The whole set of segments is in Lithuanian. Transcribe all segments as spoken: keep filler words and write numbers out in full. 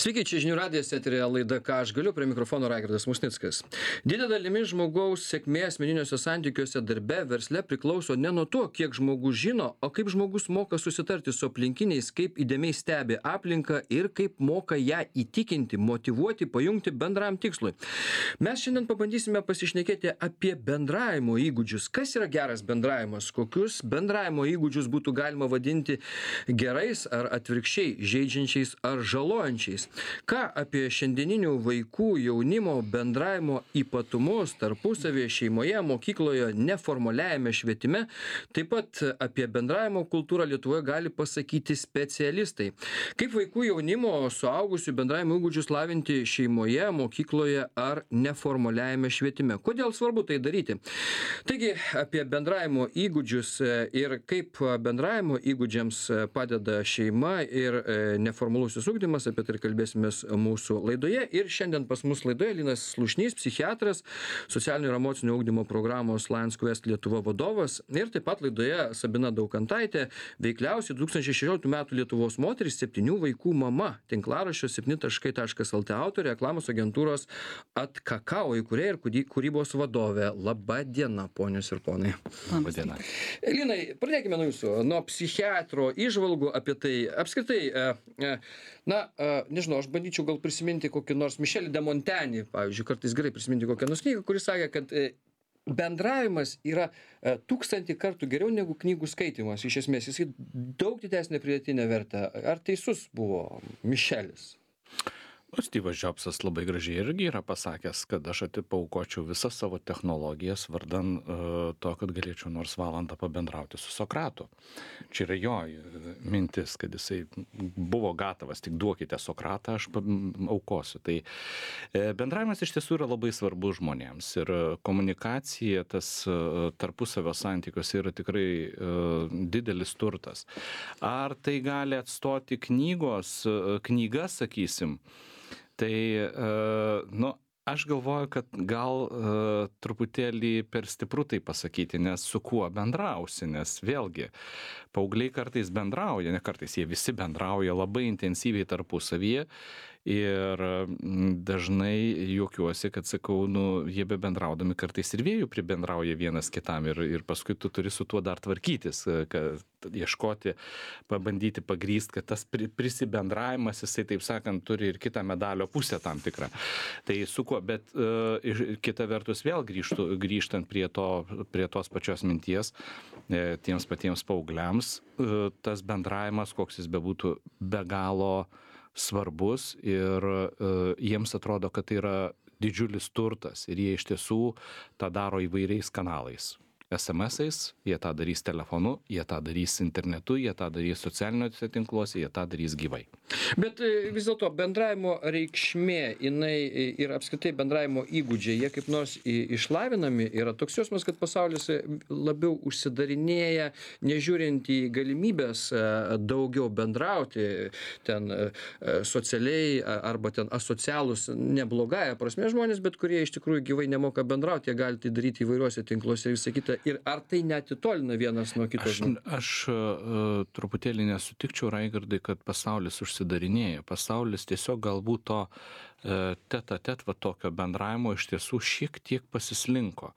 Sveiki, čia žinių radijas, eterėje laida Ką aš galiu, prie mikrofono Raigardas Musnickas. Didelė dalimi žmogaus sėkmė asmeniniuose santykiuose, darbe, versle priklauso ne nuo to, kiek žmogus žino, o kaip žmogus moka susitarti su aplinkiniais, kaip įdėmiai stebi aplinką ir kaip moka ją įtikinti, motyvuoti, pajungti bendram tikslui. Mes šiandien pabandysime pasišnekėti apie bendravimo įgūdžius. Kas yra geras bendravimas? Kokius bendravimo įgūdžius būtų galima vadinti gerais ar atvirkščiai, žeidžiančiais ar žalojančiais? Ką apie šiandieninių vaikų, jaunimo bendravimo ypatumus tarpusavėje, šeimoje, mokykloje, neformaliajame švietime, taip pat apie bendravimo kultūrą Lietuvoje gali pasakyti specialistai. Kaip vaikų, jaunimo, suaugusių bendravimo įgūdžius lavinti šeimoje, mokykloje ar neformaliajame švietime? Kodėl svarbu tai daryti? Taigi, apie bendravimo įgūdžius ir kaip bendravimo įgūdžiams padeda šeima ir neformalusis ugdymas, apie tai kalbėsimės mūsų laidoje. Ir šiandien pas mus laidoje Linas Slušnys, psichiatras, socialinio ir emocinio ugdymo programos Lions Quest Lietuva vadovas. Ir taip pat laidoje Sabina Daukantaitė, veikliausiai du tūkstančiai šešioliktų metų Lietuvos moteris, septynių vaikų mama, tinklaraščio septyni taškai lt autorė, reklamos agentūros Atkakao įkūrėja ir kūrybos vadovė. Labą dieną, ponios ir ponai. Labą dieną. Linai, pradėkime nuo jūsų, nuo psichiatro įžvalgų apie tai. Apskritai, na, nežinau, aš bandyčiau gal prisiminti kokį nors Mišelį de Montenį, pavyzdžiui, kartais gerai prisiminti kokią nors knygą, kuris sakė, kad bendravimas yra tūkstantį kartų geriau negu knygų skaitimas. Iš esmės, jis daug didesnė pridėtinė vertė. Ar teisus buvo Mišelis? O Styvas Džobsas labai gražiai irgi yra pasakęs, kad aš atipaukočiau visas savo technologijas vardan uh, to, kad galėčiau nors valandą pabendrauti su Sokratu. Čia yra jo mintis, kad jisai buvo gatavas, tik duokite Sokratą, aš aukosiu. Tai e, bendravimas iš tiesų yra labai svarbus žmonėms ir komunikacija, tas uh, tarpusavio santykiuose yra tikrai uh, didelis turtas. Ar tai gali atstoti knygos, uh, knygas, sakysim, tai, nu, aš galvoju, kad gal uh, truputėlį per stipru tai pasakyti, nes su kuo bendrausi, nes vėlgi, paaugliai kartais bendrauja, ne kartais, jie visi bendrauja labai intensyviai tarpusavyje ir dažnai juokiuosi, kad sakau, nu, jie be bendraudami kartais ir vėjų pribendrauja vienas kitam ir, ir paskui tu turi su tuo dar tvarkytis, kad ieškoti, pabandyti pagrįsti, kad tas prisibendravimas, jisai, taip sakant, turi ir kitą medalio pusę tam tikrą. Tai su kuo, bet uh, kita vertus vėl grįžtų, grįžtant prie, to, prie tos pačios minties, e, tiems patiems paaugliams, uh, tas bendravimas, koks jis bebūtų, be galo svarbus ir uh, jiems atrodo, kad tai yra didžiulis turtas ir jie iš tiesų tą daro įvairiais kanalais. es em esais, jie tą darys telefonu, jie tą darys internetu, jie tą darys socialiniuose tinkluose, jie tą darys gyvai. Bet vis dėlto bendravimo reikšmė, jinai ir apskritai bendravimo įgūdžiai, jie kaip nors išlavinami, yra toks jausmas, kad pasaulis labiau užsidarinėja, nežiūrint į galimybės daugiau bendrauti, ten socialiai arba ten asocialūs, neblogąja prasme žmonės, bet kurie iš tikrųjų gyvai nemoka bendrauti, jie gali tai daryti įvairiuose tinkluose ir visą kitą. Ir ar tai neatitolina vienas nuo kito? Aš, aš uh, truputėlį nesutikčiau, Raigardai, kad pasaulis užsidarinėja. Pasaulis tiesiog galbūt to uh, tet-a-tet va tokio bendravimo iš tiesų šiek tiek pasislinko.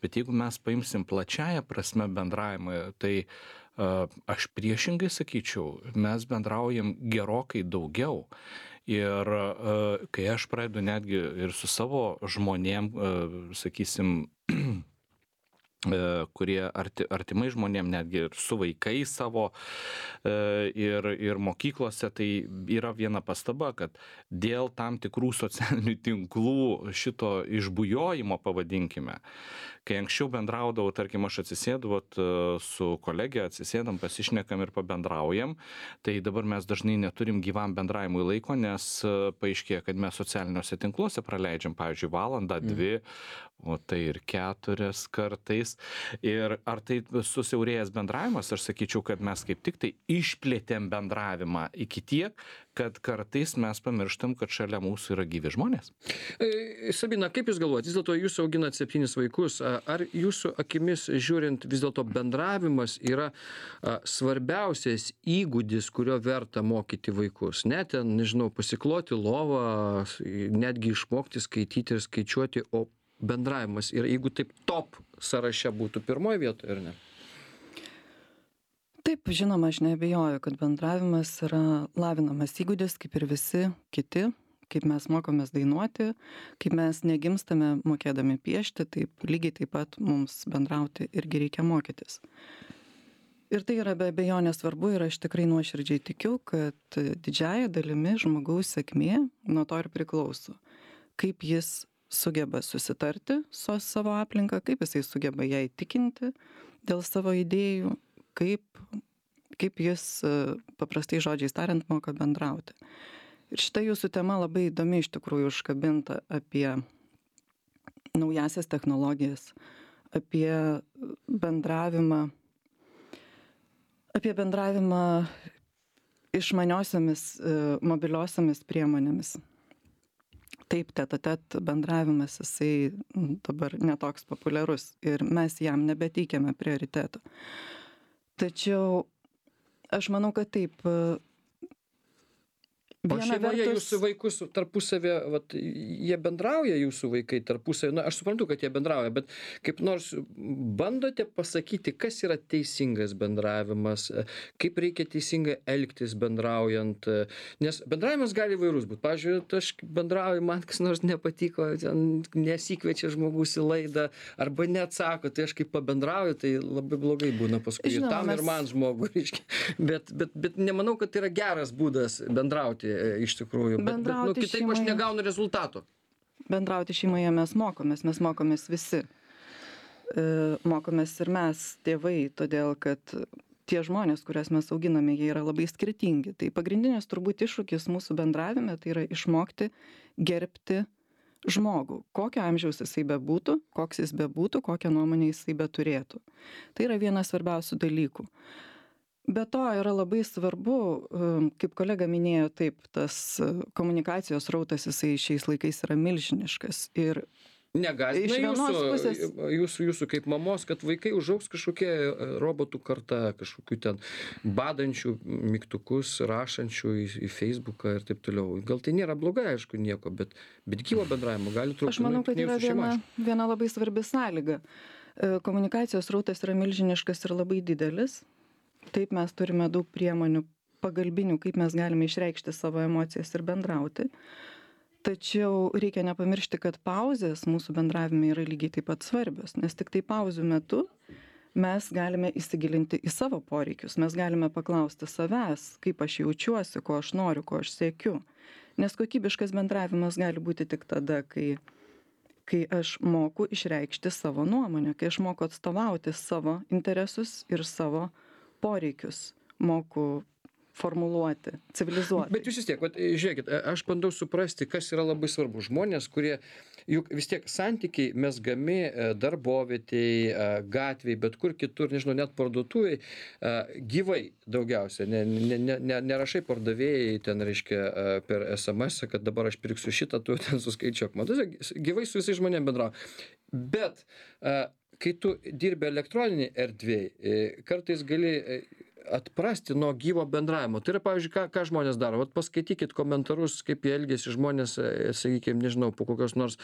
Bet jeigu mes paimsim plačiają prasme bendravimą, tai uh, aš priešingai sakyčiau, mes bendraujam gerokai daugiau. Ir uh, kai aš pradedu netgi ir su savo žmonėm, uh, sakysim, kurie arti, artimai žmonėm, netgi ir su vaikais savo ir, ir mokyklose, tai yra viena pastaba, kad dėl tam tikrų socialinių tinklų šito išbujojimo, pavadinkime, kai anksčiau bendraudavau, tarkim, aš atsisėdu vat, su kolegė, atsisėdam, pasišnekam ir pabendraujam, tai dabar mes dažnai neturim gyvam bendravimui laiko, nes paaiškėja, kad mes socialiniuose tinkluose praleidžiam, pavyzdžiui, valandą, dvi, o tai ir keturias kartais. Ir ar tai susiaurėjęs bendravimas, aš sakyčiau, kad mes kaip tik tai išplėtėm bendravimą iki tiek, kad kartais mes pamirštam, kad šalia mūsų yra gyvi žmonės. E, Sabina, kaip Jūs galvojate, vis dėlto Jūs auginat septynis vaikus, a, ar Jūsų akimis žiūrint vis dėlto bendravimas yra a, svarbiausias įgūdis, kurio verta mokyti vaikus? Ne ten, nežinau, pasikloti lovą, netgi išmokti skaityti ir skaičiuoti, o bendravimas. Ir jeigu taip top sąraše būtų pirmoje vietoje, ar ne? Taip, žinoma, aš neabejoju, kad bendravimas yra lavinamas įgūdis, kaip ir visi kiti, kaip mes mokomės dainuoti, kaip mes negimstame mokėdami piešti, taip lygiai taip pat mums bendrauti irgi reikia mokytis. Ir tai yra be abejonės svarbu ir aš tikrai nuoširdžiai tikiu, kad didžiąja dalimi žmogaus sėkmė nuo to ir priklauso. Kaip jis sugeba susitarti su savo aplinka, kaip jisai sugeba ją įtikinti dėl savo idėjų, kaip, kaip jis paprastai žodžiais tariant moka bendrauti. Ir šita jūsų tema labai įdomi iš tikrųjų užkabinta apie naujasias technologijas, apie bendravimą, apie bendravimą išmaniosiomis mobiliosiomis priemonėmis. Taip, tet-a-tet bendravimas, jisai dabar netoks populiarus ir mes jam nebeteikiame prioriteto. Tačiau aš manau, kad taip. O šeimoje vertus... jūsų vaikus tarpusavė, vat, jie bendrauja jūsų vaikai tarpusavė, na, aš suprantu, kad jie bendrauja, bet kaip nors bandote pasakyti, kas yra teisingas bendravimas, kaip reikia teisingai elgtis bendraujant, nes bendravimas gali įvairus būti. Pavyzdžiui, aš bendrauju, man kas nors nepatiko, nesikviečia žmogus į laidą, arba neatsako, tai aš kaip pabendrauju, tai labai blogai būna paskui. Žinoma, tam mes... ir man žmogui, reiškia. Bet, bet, bet nemanau, kad tai yra geras būdas bendrauti. Iš tikrųjų, bet, bet nu, kitaip šeimoje, aš negaunu rezultato. Bendrauti šeimoje mes mokomės, mes mokomės visi. E, mokomės ir mes, tėvai, todėl kad tie žmonės, kurias mes auginame, jie yra labai skirtingi. Tai pagrindinis turbūt iššūkis mūsų bendravime, tai yra išmokti gerbti žmogų. Kokio amžiaus jisai bebūtų, koks jis bebūtų, kokią nuomonę jisai beturėtų. Tai yra vienas svarbiausių dalykų. Be to yra labai svarbu, kaip kolega minėjo, taip, tas komunikacijos rautas jisai šiais laikais yra milžiniškas. Ir negąsdina jūsų, pusės... jūsų, jūsų kaip mamos, kad vaikai užaugs kažkokie robotų karta, kažkokių ten badančių mygtukus, rašančių į, į Facebooką ir taip toliau. Gal tai nėra blogai, aišku, nieko, bet, bet gyvo bendravimo gali trūkti. Aš manau, kad yra viena, viena labai svarbi sąlyga. Komunikacijos rautas yra milžiniškas ir labai didelis. Taip, mes turime daug priemonių pagalbinių, kaip mes galime išreikšti savo emocijas ir bendrauti. Tačiau reikia nepamiršti, kad pauzės mūsų bendravime yra lygiai taip pat svarbios, nes tik tai pauzių metu mes galime įsigilinti į savo poreikius, mes galime paklausti savęs, kaip aš jaučiuosi, ko aš noriu, ko aš siekiu. Nes kokybiškas bendravimas gali būti tik tada, kai, kai aš moku išreikšti savo nuomonę, kai aš moku atstovauti savo interesus ir savo poreikius, moku formuluoti, civilizuoti. Bet jūs vis tiek, vat, žiūrėkit, aš bandau suprasti, kas yra labai svarbu. Žmonės, kurie, juk vis tiek santykiai mezgami darbovietėj, gatvėj, bet kur kitur, nežinau, net parduotuvėj, gyvai daugiausia. Ne, ne, ne, nerašai pardavėjai ten, reiškia, per es em es, kad dabar aš pirksiu šitą, tu ten suskaičiuok. Man gyvai su visais žmonėm bendrauja. Bet kai tu dirbi elektroninėj erdvėj, kartais gali atprasti nuo gyvo bendravimo. Tai yra, pavyzdžiui, ką, ką žmonės daro. Vat paskaitykit komentarus, kaip jie elgiasi žmonės, sakykime, nežinau, po kokios nors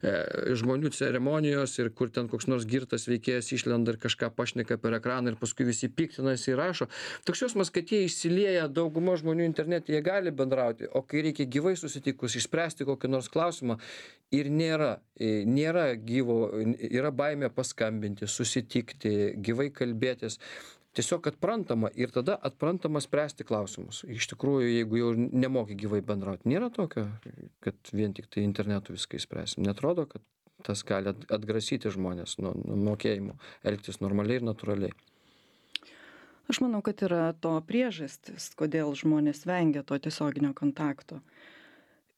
e, žmonių ceremonijos ir kur ten koks nors girtas veikėjas išlenda ir kažką pašneka per ekraną ir paskui visi piktinasi ir rašo. Toks jausmas, kad jie išsilieja, dauguma žmonių internete, jie gali bendrauti, o kai reikia gyvai susitikus, išspręsti kokį nors klausimą, ir nėra, nėra gyvo, yra baimė paskambinti, susitikti, gyvai kalbėtis. Tiesiog atprantama ir tada atprantama spręsti klausimus. Iš tikrųjų, jeigu jau nemoki gyvai bendrauti, nėra tokio, kad vien tik tai internetu viską išspręsim. Netrodo, kad tas gali atgrasyti žmonės nuo, nuo mokėjimo, elgtis normaliai ir natūraliai. Aš manau, kad yra to priežastis, kodėl žmonės vengia to tiesioginio kontakto.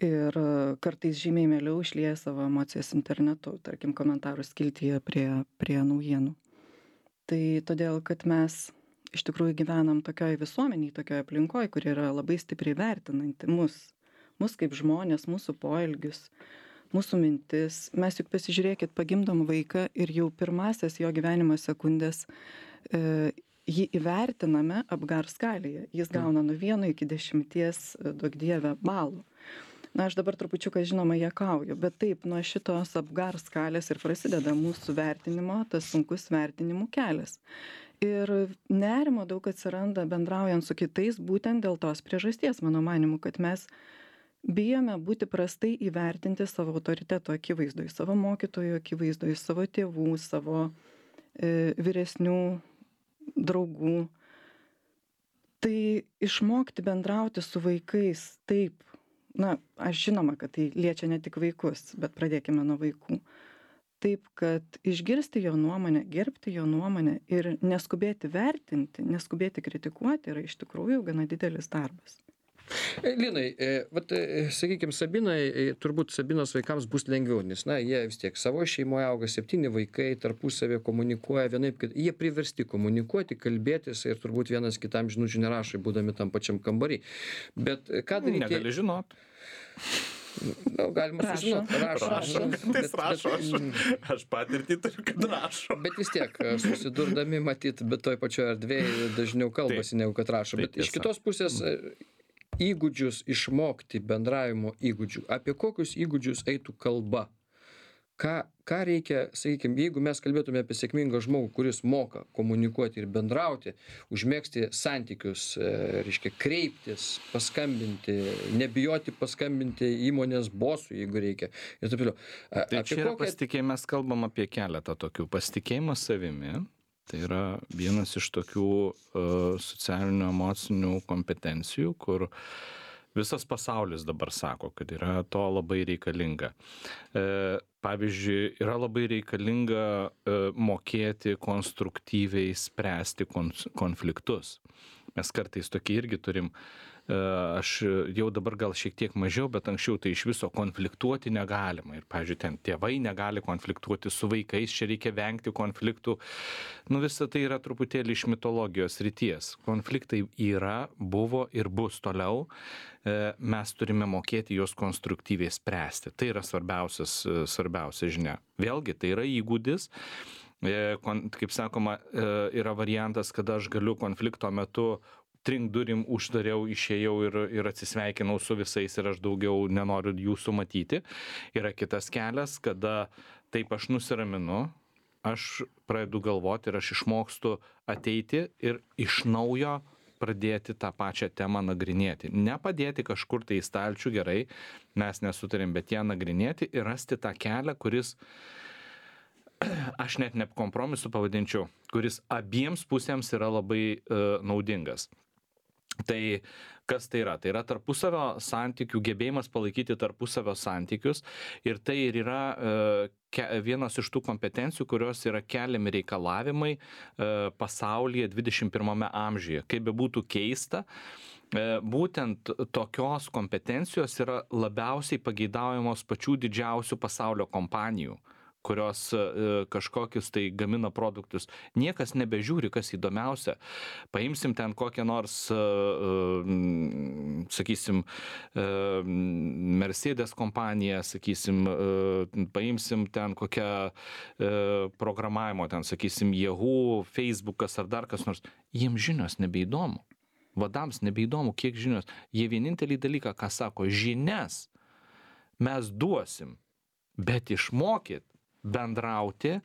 Ir kartais žymiai mieliau išlieja savo emocijas internetu, tarkim, komentarų skiltyje prie, prie naujienų. Tai todėl, kad mes iš tikrųjų gyvenam tokioj visuomenėj, tokioj aplinkoj, kuri yra labai stipriai vertinanti mus, mus kaip žmonės, mūsų poelgius, mūsų mintis. Mes juk pasižiūrėkit, pagimdom vaiką ir jau pirmasias jo gyvenimo sekundės e, jį įvertiname apgar skalėje. Jis gauna nuo vieno iki dešimties, duok dieve, balų. Na, aš dabar trupučiuką, žinoma, juokauju, bet taip, nuo šitos apgar skalės ir prasideda mūsų vertinimo, tas sunkus vertinimų kelias. Ir nerimo daug atsiranda bendraujant su kitais būtent dėl tos priežasties, mano manimu, kad mes bijome būti prastai įvertinti savo autoriteto akivaizdoj, savo mokytojų akivaizdoj, savo tėvų, savo e, vyresnių draugų. Tai išmokti bendrauti su vaikais taip, na, aš žinoma, kad tai liečia ne tik vaikus, bet pradėkime nuo vaikų. Taip, kad išgirsti jo nuomonę, gerbti jo nuomonę ir neskubėti vertinti, neskubėti kritikuoti yra iš tikrųjų gana didelis darbas. Linai, vat, sakykime, Sabinai, turbūt Sabinos vaikams bus lengviau, nes, na, jie vis tiek savo šeimoje auga, septyni vaikai, tarpusavė komunikuoja vienaip, kad jie priversti komunikuoti, kalbėtis ir turbūt vienas kitam žinučių nerašai, būdami tam pačiam kambarį. Bet ką daryti? Negali žinot. Na, galima sužinoti. Rašo. Rašo. Bet, rašo. Aš, aš patirtį turiu, kad rašo. Bet vis tiek, susidurdami, matyt, bet toj pačioje erdvėje dažniau kalbasi, negu kad rašo. Bet iš kitos pusės įgūdžius išmokti, bendravimo įgūdžių. Apie kokius įgūdžius eitų kalba? Ką, ką reikia, sakykime, jeigu mes kalbėtume apie sėkmingą žmogų, kuris moka komunikuoti ir bendrauti, užmėgsti santykius, reiškia kreiptis, paskambinti, nebijoti paskambinti įmonės bosui, jeigu reikia. Ir taip toliau. Tai čia yra kokią... pasitikėjimas, mes kalbam apie keletą tokių. Pasitikėjimas savimi. Tai yra vienas iš tokių uh, socialinių emocinių kompetencijų, kur visas pasaulis dabar sako, kad yra to labai reikalinga. E, pavyzdžiui, yra labai reikalinga e, mokėti konstruktyviai spręsti konfliktus. Mes kartais tokie irgi turim, e, aš jau dabar gal šiek tiek mažiau, bet anksčiau tai iš viso konfliktuoti negalima. Ir, pavyzdžiui, ten tėvai negali konfliktuoti su vaikais, čia reikia vengti konfliktų. Nu, visa tai yra truputėlį iš mitologijos ryties. Konfliktai yra, buvo ir bus toliau. Mes turime mokėti juos konstruktyviai spręsti. Tai yra svarbiausias, svarbiausia žinia. Vėlgi, tai yra įgūdis. Kaip sakoma, yra variantas, kada aš galiu konflikto metu trink durim uždariau, išėjau ir, ir atsisveikinau su visais ir aš daugiau nenoriu jūsų matyti. Yra kitas kelias, kada taip aš nusiraminu, aš pradedu galvoti ir aš išmokstu ateiti ir iš naujo pradėti tą pačią temą nagrinėti. Nepadėti kažkur tai į stalčių, gerai, mes nesutarėm, bet ją nagrinėti ir rasti tą kelią, kuris, aš net ne kompromisu pavadinčiau, kuris abiems pusėms yra labai uh, naudingas. Tai kas tai yra? Tai yra tarpusavio santykių, gebėjimas palaikyti tarpusavio santykius ir tai ir yra uh, ke, vienas iš tų kompetencijų, kurios yra keliami reikalavimai uh, pasaulyje dvidešimt pirmame amžiuje. Kaip be būtų keista, uh, būtent tokios kompetencijos yra labiausiai pageidaujamos pačių didžiausių pasaulio kompanijų, kurios uh, kažkokius tai gamina produktus. Niekas nebežiūri, kas įdomiausia. Paimsim ten kokią nors, uh, uh, sakysim, uh, Mercedes kompaniją, sakysim, uh, paimsim ten kokią uh, programavimo, ten, sakysim, Yahoo, Facebookas ar dar kas nors. Jiems žinios nebeįdomu. Vadams nebeįdomu, kiek žinios. Jie vienintelį dalyką, ką sako, žinias mes duosim, bet išmokyt bendrauti,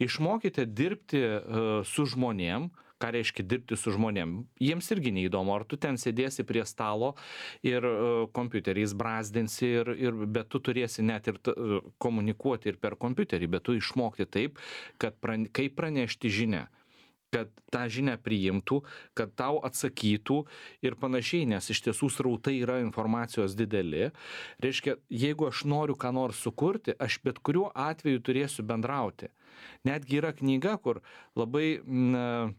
išmokite dirbti uh, su žmonėm. Ką reiškia dirbti su žmonėm? Jiems irgi neįdomu, ar tu ten sėdėsi prie stalo ir uh, kompiuteriais brazdinsi, ir, ir, bet tu turėsi net ir t, uh, komunikuoti ir per kompiuterį, bet tu išmokti taip, kad prane, kaip pranešti žinią, kad tą žinią priimtų, kad tau atsakytų ir panašiai, nes iš tiesų srautai yra informacijos dideli. Reiškia, jeigu aš noriu ką nors sukurti, aš bet kuriuo atveju turėsiu bendrauti. Netgi yra knyga, kur labai na,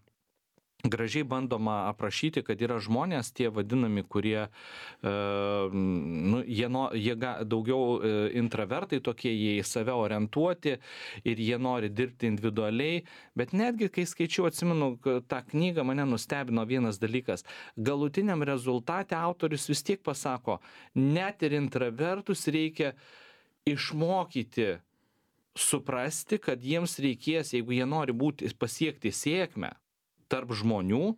gražiai bandoma aprašyti, kad yra žmonės, tie vadinami, kurie, e, nu, jie, no, jie ga, daugiau e, intravertai tokie, jie į save orientuoti ir jie nori dirbti individualiai, bet netgi kai skaičiau, atsimenu, tą knygą mane nustebino vienas dalykas. Galutiniam rezultate autorius vis tiek pasako, net ir intravertus reikia išmokyti suprasti, kad jiems reikės, jeigu jie nori būti, pasiekti sėkmę tarp žmonių,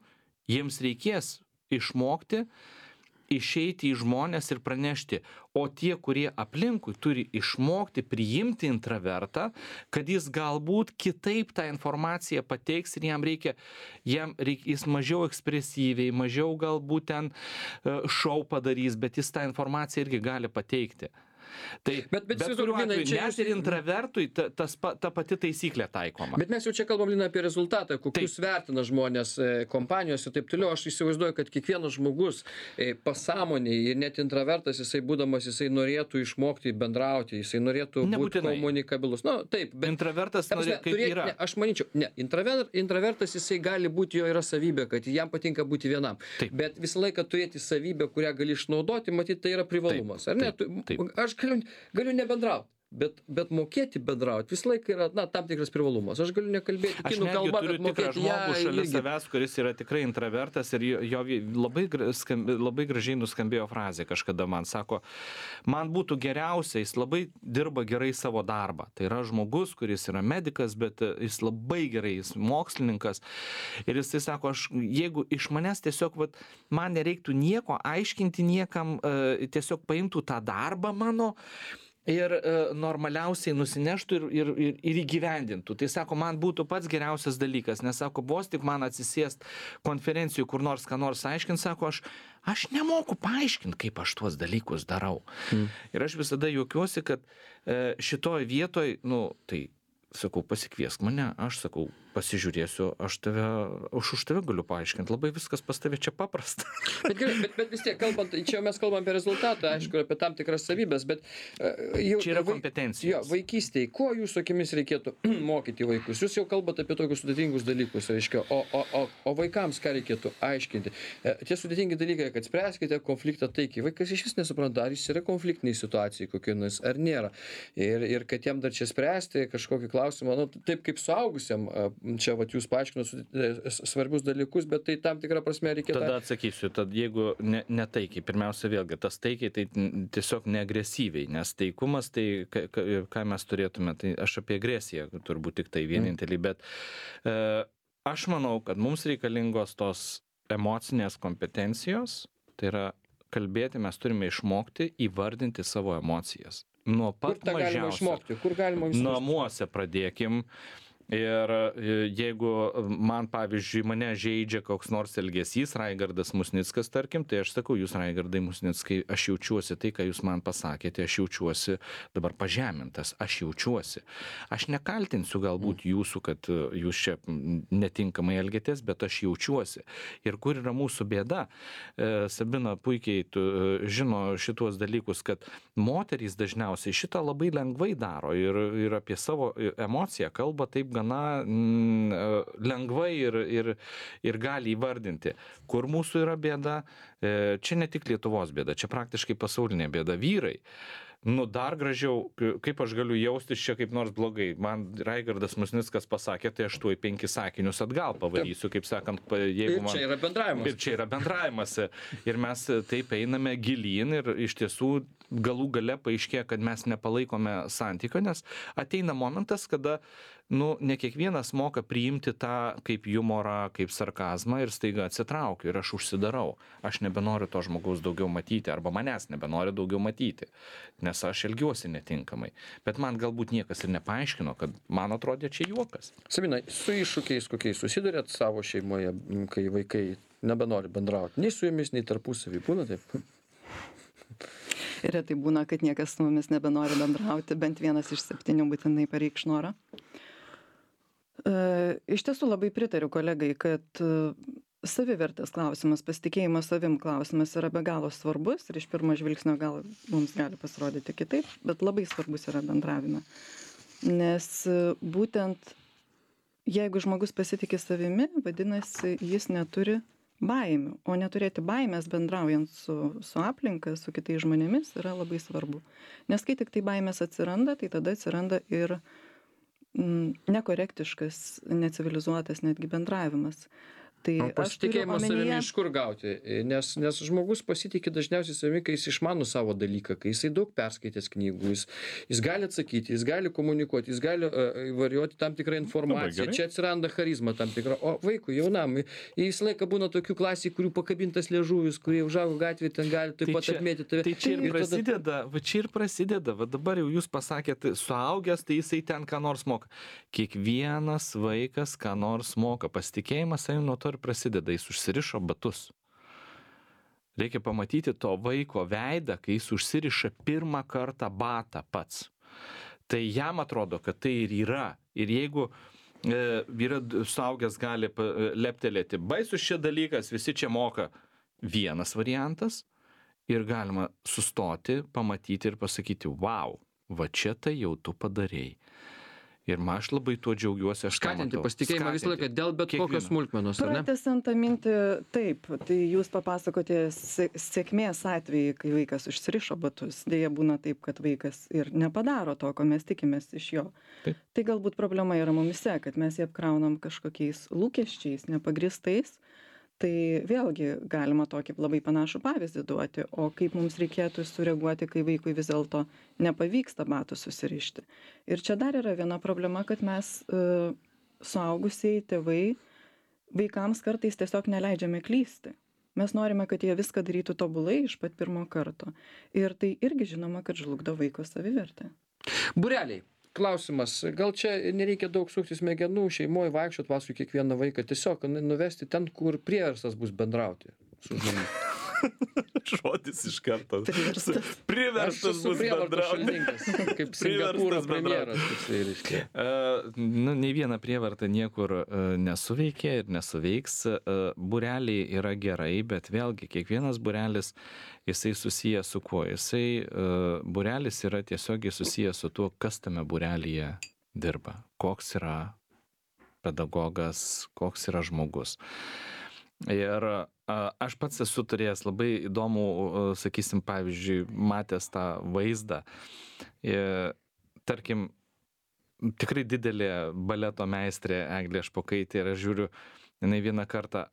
jiems reikės išmokti, išeiti į žmonės ir pranešti. O tie, kurie aplinkui turi išmokti priimti intravertą, kad jis galbūt kitaip tą informaciją pateiks ir jam reikia, jam reikia, jis mažiau ekspresyviai, mažiau galbūt ten šou padarys, bet jis tą informaciją irgi gali pateikti. Tai, bet, bet, bet kuriuo atveju, net jūs... ir intravertui ta, tas, ta pati taisyklė taikoma. Bet mes jau čia kalbam, Lina, apie rezultatą, kokius taip vertina žmonės kompanijos ir taip toliau. Aš įsivaizduoju, kad kiekvienas žmogus pasąmoniai ir net intravertas, jisai būdamas, jisai norėtų išmokti bendrauti, jisai norėtų būti komunikabilus. Na, taip, bet intravertas ta, norė, kaip turėt, yra. Ne, aš manyčiau, ne, intraver, intravertas jisai gali būti, jo yra savybė, kad jam patinka būti vienam. Taip. Bet visą laiką turėti savybę, kurią gali išnaudoti, matyt, tai yra privalumas. Ar ne? Taip, taip. Aš galiu, galiu nebendrauti, bet, bet mokėti bendrauti visą laiką yra, na, tam tikras privalumas. Aš galiu nekalbėti kinų kalbą, bet mokėti ją šalia irgi. Savęs, kuris yra tikrai intravertas ir jo, jo labai, skambi, labai gražiai nuskambėjo frazė kažkada man. Sako, man būtų geriausia, jis labai dirba gerai savo darbą. Tai yra žmogus, kuris yra medikas, bet jis labai gerai, jis mokslininkas. Ir jis tai sako, aš, jeigu iš manęs tiesiog, vat, man nereiktų nieko aiškinti niekam, tiesiog paimtų tą darbą mano, ir e, normaliausiai nusineštų ir, ir, ir, ir įgyvendintų. Tai sako, man būtų pats geriausias dalykas, nes sako, vos tik man atsisėst konferencijų, kur nors ką nors aiškint, sako, aš, aš nemoku paaiškinti, kaip aš tuos dalykus darau. Mm. Ir aš visada juokiuosi, kad e, šitoj vietoj, nu, tai, sakau, pasikviesk mane, aš sakau, pasižiūrėsiu, aš tave, aš už tave galiu paaiškinti, labai viskas pas tave čia paprasta. Bet, gerai, bet, bet vis tiek, kalbant, čia mes kalbam apie rezultatą, aišku, apie tam tikras savybės, bet uh, jau, čia yra kompetencijos. Jo, vaikystėje, ko jūsų akimis reikėtų mokyti vaikus? Jūs jau kalbate apie tokius sudėtingus dalykus, reiškia, o, o, o, o vaikams ką reikėtų aiškinti? E, tie sudėtingi dalykai, kad spręskite konfliktą taikiai. Vaikas iš vis nesupranta, ar jis yra konfliktiniai situacijai kokiai nors, ar nėra. Ir, ir kad jam dar čia spręsti kažkokį klausimą, nu, taip kaip suaugusiam, čia vat jūs paaiškinot svarbius dalykus, bet tai tam tikrą prasme reikėtų. Tada atsakysiu, tad jeigu ne, ne taikiai, pirmiausia vėlgi, tas taikiai tai tiesiog neagresyviai, nes taikumas tai, ką, ką mes turėtume, tai aš apie agresiją turbūt tik tai vienintelį, bet e, aš manau, kad mums reikalingos tos emocinės kompetencijos, tai yra kalbėti, mes turime išmokti įvardinti savo emocijas. Nuo pat Kur tą galima išmokti? Kur galima išmokti? Namuose pradėkim. Ir jeigu man, pavyzdžiui, mane žeidžia koks nors elgesys, Raigardas Musnickas, tarkim, tai aš sakau, jūs, Raigardai Musnickai, aš jaučiuosi tai, ką jūs man pasakėte, aš jaučiuosi dabar pažemintas, aš jaučiuosi. Aš nekaltinsiu galbūt jūsų, kad jūs čia netinkamai elgėtės, bet aš jaučiuosi. Ir kur yra mūsų bėda? Sabina puikiai tu, žino šituos dalykus, kad moterys dažniausiai šitą labai lengvai daro ir, ir apie savo emociją kalba taip gana mm, lengvai ir, ir, ir gali įvardinti, kur mūsų yra bėda. Čia ne tik Lietuvos bėda, čia praktiškai pasaulinė bėda. Vyrai, nu dar gražiau, kaip aš galiu jaustis čia kaip nors blogai. Man Raigardas Musnickas pasakė, tai aš tuoj penkis sakinius atgal pavarysiu, kaip sakant, jeigu man... Ir čia yra bendravimas. Ir čia yra bendravimas. Ir mes taip einame gilyn ir iš tiesų galų gale paaiškėja, kad mes nepalaikome santykio, nes ateina momentas, kada nu, ne kiekvienas moka priimti tą kaip humorą, kaip sarkazmą ir staiga atsitraukiu ir aš užsidarau. Aš nebenoriu to žmogaus daugiau matyti arba manęs nebenoriu daugiau matyti, nes aš elgiuosi netinkamai. Bet man galbūt niekas ir nepaaiškino, kad man atrodė čia juokas. Sabina, su iššūkiais kokiais susidurėt savo šeimoje, kai vaikai nebenori bendrauti? Nei su jumis, nei tarpusavy. Būna taip? Ir tai būna, kad niekas su mumis nebenori bendrauti, bent vienas iš septynių būtinai pareikš norą. Iš tiesų labai pritariu kolegai, kad savivertės klausimas, pasitikėjimas savim klausimas yra be galo svarbus ir iš pirmo žvilgsnio gal mums gali pasirodyti kitaip, bet labai svarbus yra bendravime. Nes būtent jeigu žmogus pasitiki savimi, vadinasi, jis neturi baimių. O neturėti baimės bendraujant su, su aplinka, su kitais žmonėmis yra labai svarbu. Nes kai tik tai baimės atsiranda, tai tada atsiranda ir mm, nekorektiškas, necivilizuotas netgi bendravimas. Tai O pasitikėjimą savimi omenyje... iš kur gauti? Nes, nes žmogus pasitikė dažniausiai savimi, kai jis išmano savo dalyką, kai jisai daug perskaitęs knygų, jis, jis gali atsakyti, jis gali komunikuoti, jis gali uh, varijuoti tam tikrą informaciją. Čia atsiranda charizma tam tikra. O vaikui, jaunam, jis laiką būna tokių klasių, kurių pakabintas liežuvis, kurie užaugo gatvėje, ten gali taip Tai pat čia- atmėti tave. Tai čia ir Ir tada- prasideda, va čia ir prasideda, va dabar jau jūs pasakėte, suaugęs, tai jisai ten ką nors moka. Kiekvienas vaikas ką nors moka, pasitikėjimas savim nuo to ir prasideda, jis užsirišo batus. Reikia pamatyti to vaiko veidą, kai jis užsiriša pirmą kartą batą pats. Tai jam atrodo, kad tai ir yra. Ir jeigu e, yra suaugęs gali pa- leptelėti, baisus šia dalykas, visi čia moka, vienas variantas, ir galima sustoti, pamatyti ir pasakyti, wow, va čia tai jau tu padarėjai. Ir man aš labai tuo džiaugiuosi, aš tą Skatinti matau. pasitikėjimą visą laiką Skatinti. dėl bet kokios Kiekvieną. smulkmenos, ar ne? Pratęsiant tą mintį, taip, tai jūs papasakote sė- sėkmės atvejį, kai vaikas užsirišo batus. Deja būna taip, kad vaikas ir nepadaro to, ko mes tikimės iš jo. Taip. Tai galbūt problema yra mumise, kad mes jį apkraunam kažkokiais lūkesčiais, nepagristais. Tai vėlgi galima tokį labai panašų pavyzdį duoti, o kaip mums reikėtų sureaguoti, kai vaikui vis dėlto nepavyksta batų susirišti. Ir čia dar yra viena problema, kad mes uh, suaugusiai tėvai vaikams kartais tiesiog neleidžiame klysti. Mes norime, kad jie viską darytų tobulai iš pat pirmo karto. Ir tai irgi žinoma, kad žlugdo vaiko savivertę. Būreliai. Klausimas, gal čia nereikia daug sukti smegenų, šeimoje vaikščiot paskui kiekvieną vaiką, tiesiog nuvesti ten, kur prieverstas bus bendrauti su žmonėmis. Žodis iš karto. Priverstas. Aš Priverstas esu bus prievartos bendrauti. šalininkas, kaip Priverstas Singapūro bendrauti. premjeras. toksai, reiškia. Uh, nu, nei viena prievarta niekur uh, nesuveikia ir nesuveiks. Uh, Būreliai yra gerai, bet vėlgi kiekvienas būrelis, jisai susijęs su kuo? Jisai, uh, būrelis yra tiesiogiai susijęs su tuo, kas tame būrelyje dirba. Koks yra pedagogas, koks yra žmogus. Ir a, aš pats esu turėjęs labai įdomų, a, sakysim, pavyzdžiui, matęs tą vaizdą. Ir, tarkim, tikrai didelė baleto meistrė Eglė Špokaitė ir aš žiūriu, jinai vieną kartą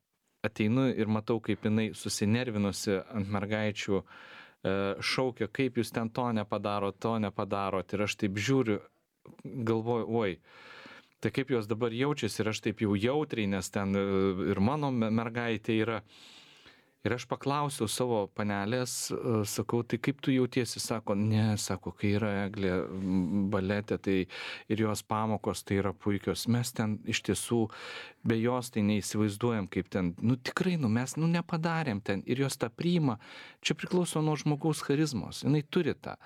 ateinu ir matau, kaip jinai susinervinusi ant mergaičių, e, šaukia, kaip jūs ten to nepadarot, to nepadarot. Ir aš taip žiūriu, galvoju, oi, tai kaip jos dabar jaučiasi ir aš taip jau jautriai, nes ten e, ir mano me- mergaitė yra. Ir aš paklausiau savo panelės, e, sakau, tai kaip tu jautiesi, sako, ne, sako, kai yra Eglė m, balete, tai ir jos pamokos tai yra puikios. Mes ten iš tiesų be jos tai neįsivaizduojam, kaip ten, nu tikrai, nu mes nu nepadarėm ten ir jos tą priima. Čia priklauso nuo žmogaus charizmos, jinai turi tą.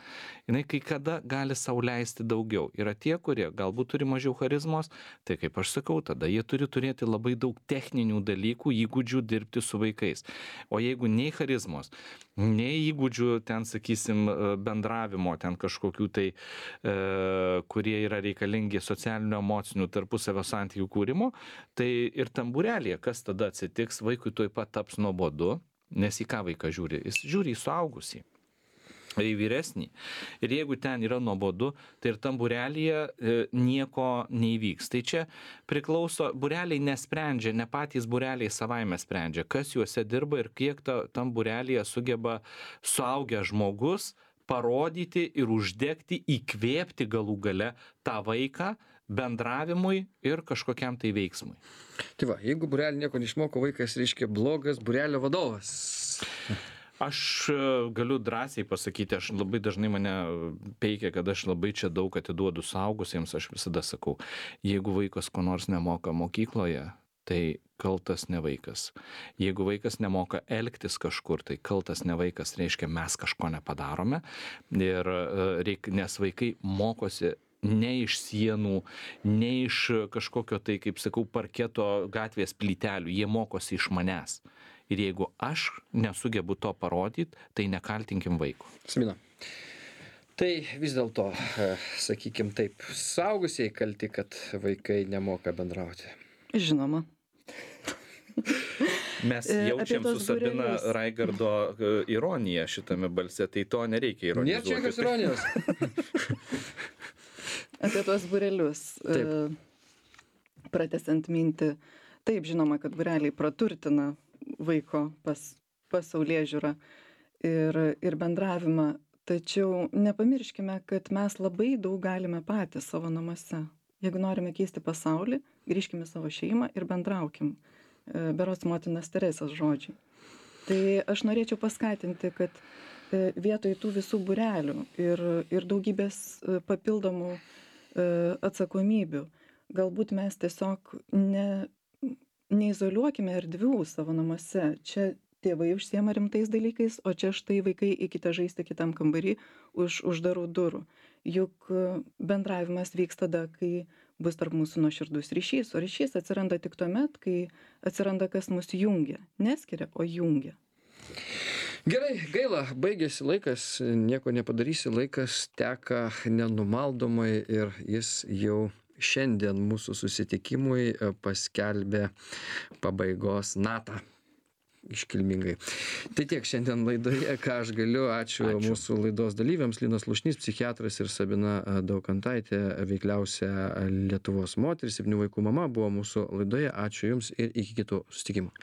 Jinai kai kada gali sau leisti daugiau. Yra tie, kurie galbūt turi mažiau charizmos, tai kaip aš sakau, tada jie turi turėti labai daug techninių dalykų, įgūdžių dirbti su vaikais. O jeigu nei charizmos, nei įgūdžių ten, sakysim, bendravimo, ten kažkokių tai, e, kurie yra reikalingi socialinių, emocinių tarpusavio santykių kūrimo, tai ir tam būrelėje, kas tada atsitiks, vaikui tuoj pat taps nuobodu, nes į ką vaikas žiūri? Jis žiūri į suaugusį. Į vyresnį. Ir jeigu ten yra nuobodu, tai ir tam būrelyje e, nieko neįvyks. Tai čia priklauso, būreliai nesprendžia, ne patys būreliai savaime sprendžia, kas juose dirba ir kiek ta, tam būrelyje sugeba suaugęs žmogus parodyti ir uždegti, įkvėpti galų gale tą vaiką bendravimui ir kažkokiam tai veiksmui. Tai va, jeigu būrelį nieko neišmoko, vaikas reiškia blogas būrelio vadovas. Aš e, galiu drąsiai pasakyti, aš labai dažnai mane peikia, kad aš labai čia daug atiduodu suaugusiems, aš visada sakau, jeigu vaikas ko nors nemoka mokykloje, tai kaltas ne vaikas. Jeigu vaikas nemoka elgtis kažkur, tai kaltas ne vaikas, reiškia mes kažko nepadarome, ir, e, reik, nes vaikai mokosi ne iš sienų, ne iš kažkokio tai, kaip sakau, parketo gatvės plytelių, jie mokosi iš manęs. Ir jeigu aš nesugebu to parodyti, tai nekaltinkim vaiko. Smina. Tai vis dėlto, e, sakykim taip, suaugusieji kalti, kad vaikai nemoka bendrauti. Žinoma. Mes E, apie jaučiam su tuos Sabina būrelius. Raigardo e, ironiją šitame balse, tai to nereikia Nėra čia ironizuoti. jokios ironijos. Apie tuos būrelius. Taip. Pratęsiant mintį. Taip, žinoma, kad būreliai praturtina vaiko pas, pasaulėžiūrą ir, ir bendravimą. Tačiau nepamirškime, kad mes labai daug galime patys savo namuose. Jeigu norime keisti pasaulį, grįžkime į savo šeimą ir bendraukim. E, Berods motinos Teresės žodžiai. Tai aš norėčiau paskatinti, kad e, vietoj tų visų būrelių ir, ir daugybės e, papildomų e, atsakomybių, galbūt mes tiesiog ne, neizoliuokime erdvių savo namuose. Čia tėvai užsiema rimtais dalykais, o čia štai vaikai eikite žaisti kitam kambarį už uždarų durų. Juk e, bendravimas vyks tada, kai bus tarp mūsų nuoširdus ryšys, o ryšys atsiranda tik tuomet, kai atsiranda kas mus jungia. Neskiria, o jungia. Gerai, gaila, baigėsi laikas, nieko nepadarysi, laikas teka nenumaldomai ir jis jau šiandien mūsų susitikimui e, paskelbė pabaigos natą. Iškilmingai. Tai tiek šiandien laidoje, ką aš galiu. Ačiū, Ačiū. mūsų laidos dalyviams. Linas Slušnys, psichiatras, ir Sabina Daukantaitė, veikliausia Lietuvos moteris, septynių vaikų mama, buvo mūsų laidoje. Ačiū Jums ir iki kitų susitikimų.